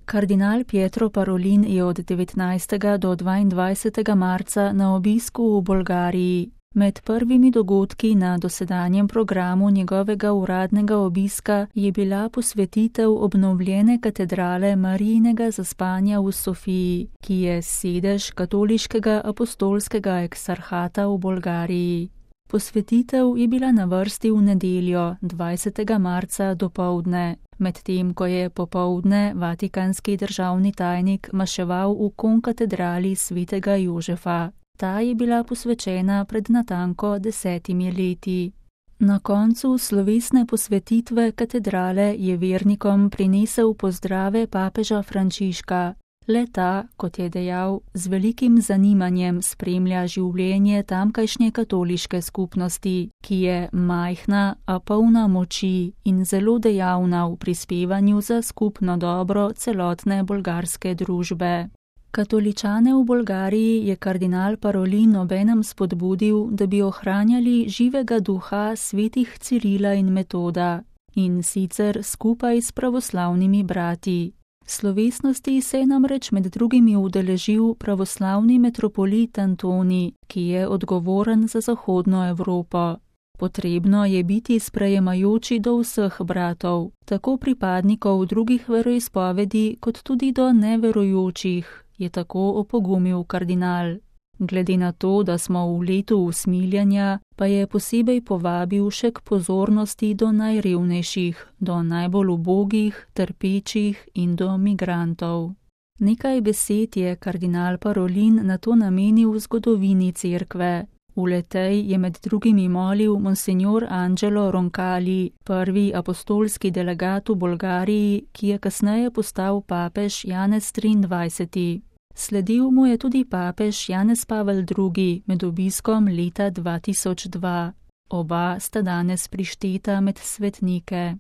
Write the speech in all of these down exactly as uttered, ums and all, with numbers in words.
Kardinal Pietro Parolin je od devetnajstega do dvaindvajsetega marca na obisku v Bolgariji. Med prvimi dogodki na dosedanjem programu njegovega uradnega obiska je bila posvetitev obnovljene katedrale Marijinega zaspanja v Sofiji, ki je sedež katoliškega apostolskega eksarhata v Bolgariji. Posvetitev je bila na vrsti v nedeljo, dvajsetega marca dopoldne, medtem ko je popoldne vatikanski državni tajnik maševal v konkatedrali svetega Jožefa. Ta je bila posvečena pred natanko desetimi leti. Na koncu slovesne posvetitve katedrale je vernikom prinesel pozdrave papeža Frančiška. Le ta, kot je dejal, z velikim zanimanjem spremlja življenje tamkajšnje katoliške skupnosti, ki je majhna, a polna moči in zelo dejavna v prispevanju za skupno dobro celotne bolgarske družbe. Katoličane v Bolgariji je kardinal Parolin obenem spodbudil, da bi ohranjali živega duha svetih Cirila in Metoda, in sicer skupaj s pravoslavnimi brati. Slovesnosti se je namreč med drugimi udeležil pravoslavni metropolit Antoni, ki je odgovoren za zahodno Evropo. Potrebno je biti sprejemajoči do vseh bratov, tako pripadnikov drugih veroizpovedi kot tudi do neverujočih, je tako opogumil kardinal. Glede na to, da smo v letu usmiljenja, pa je posebej povabil še k pozornosti do najrevnejših, do najbolj ubogih, trpečih in do migrantov. Nekaj besed je kardinal Parolin na to namenil zgodovini cerkve. V letej je med drugimi molil monsignor Angelo Roncalli, prvi apostolski delegat v Bolgariji, ki je kasneje postal papež Janez triindvajseti. Sledil mu je tudi papež Janez Pavel drugi med obiskom leta dva tisoč dva. Oba sta danes prišteta med svetnike.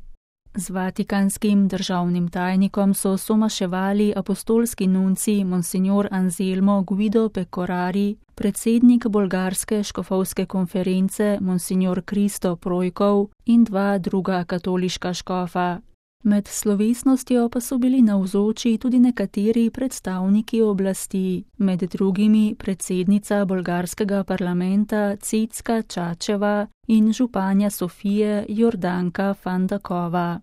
Z vatikanskim državnim tajnikom so somaševali apostolski nunci monsignor Anselmo Guido Pecorari, predsednik bolgarske škofovske konference monsignor Kristo Projkov in dva druga katoliška škofa. Med slovesnostjo pa so bili navzoči tudi nekateri predstavniki oblasti, med drugimi predsednica bolgarskega parlamenta Cecka Čačeva in županja Sofije Jordanka Fandakova.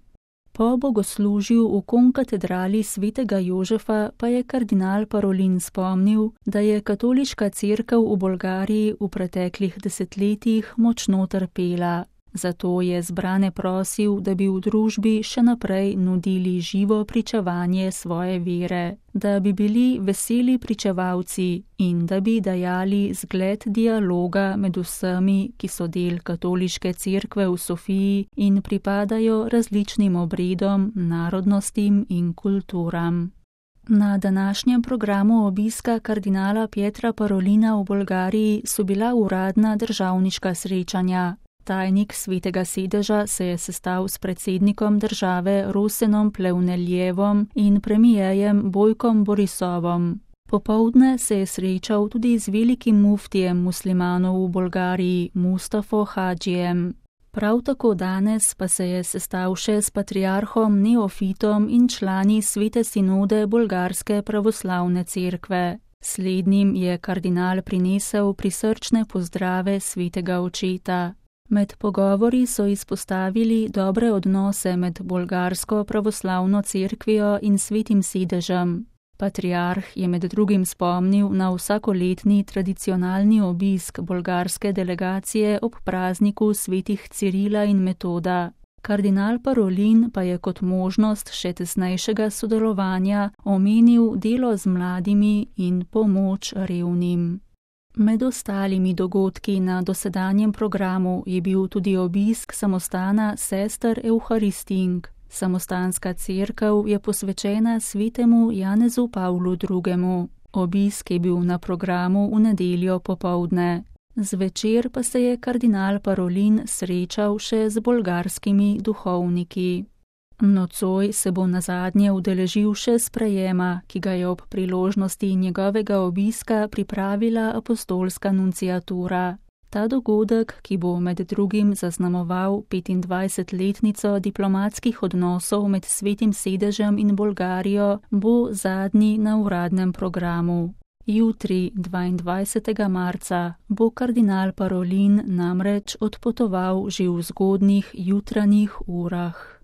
Po bogoslužju v konkatedrali svetega Jožefa pa je kardinal Parolin spomnil, da je katoliška cerkev v Bolgariji v preteklih desetletjih močno trpela. Zato je zbrane prosil, da bi v družbi še naprej nudili živo pričevanje svoje vere, da bi bili veseli pričevalci in da bi dajali zgled dialoga med vsemi, ki so del katoliške cerkve v Sofiji in pripadajo različnim obredom, narodnostim in kulturam. Na današnjem programu obiska kardinala Pietra Parolina v Bolgariji so bila uradna državniška srečanja. Tajnik svetega sedeža se je sestal s predsednikom države Rosenom Plevneljevom in premijejem Bojkom Borisovom. Popoldne se je srečal tudi z velikim muftijem muslimanov v Bolgariji Mustafo Hadžijem. Prav tako danes pa se je sestal še s patriarhom Neofitom in člani svete sinode bolgarske pravoslavne cerkve. Slednjim je kardinal prinesel prisrčne pozdrave svetega očeta. Med pogovori so izpostavili dobre odnose med bolgarsko pravoslavno cerkvijo in svetim sedežem. Patriarh je med drugim spomnil na vsakoletni tradicionalni obisk bolgarske delegacije ob prazniku svetih Cirila in Metoda. Kardinal Parolin pa je kot možnost še tesnejšega sodelovanja omenil delo z mladimi in pomoč revnim. Med ostalimi dogodki na dosedanjem programu je bil tudi obisk samostana sester Euharistink. Samostanska cerkev je posvečena svetemu Janezu Pavlu drugemu. Obisk je bil na programu v nedeljo popoldne. Zvečer pa se je kardinal Parolin srečal še z bolgarskimi duhovniki. Nocoj se bo nazadnje udeležil še sprejema, ki ga je ob priložnosti njegovega obiska pripravila apostolska nunciatura. Ta dogodek, ki bo med drugim zaznamoval petindvajsetletnico diplomatskih odnosov med Svetim sedežem in Bolgarijo, bo zadnji na uradnem programu. Jutri, dvaindvajsetega marca, bo kardinal Parolin namreč odpotoval že v zgodnjih jutranjih urah.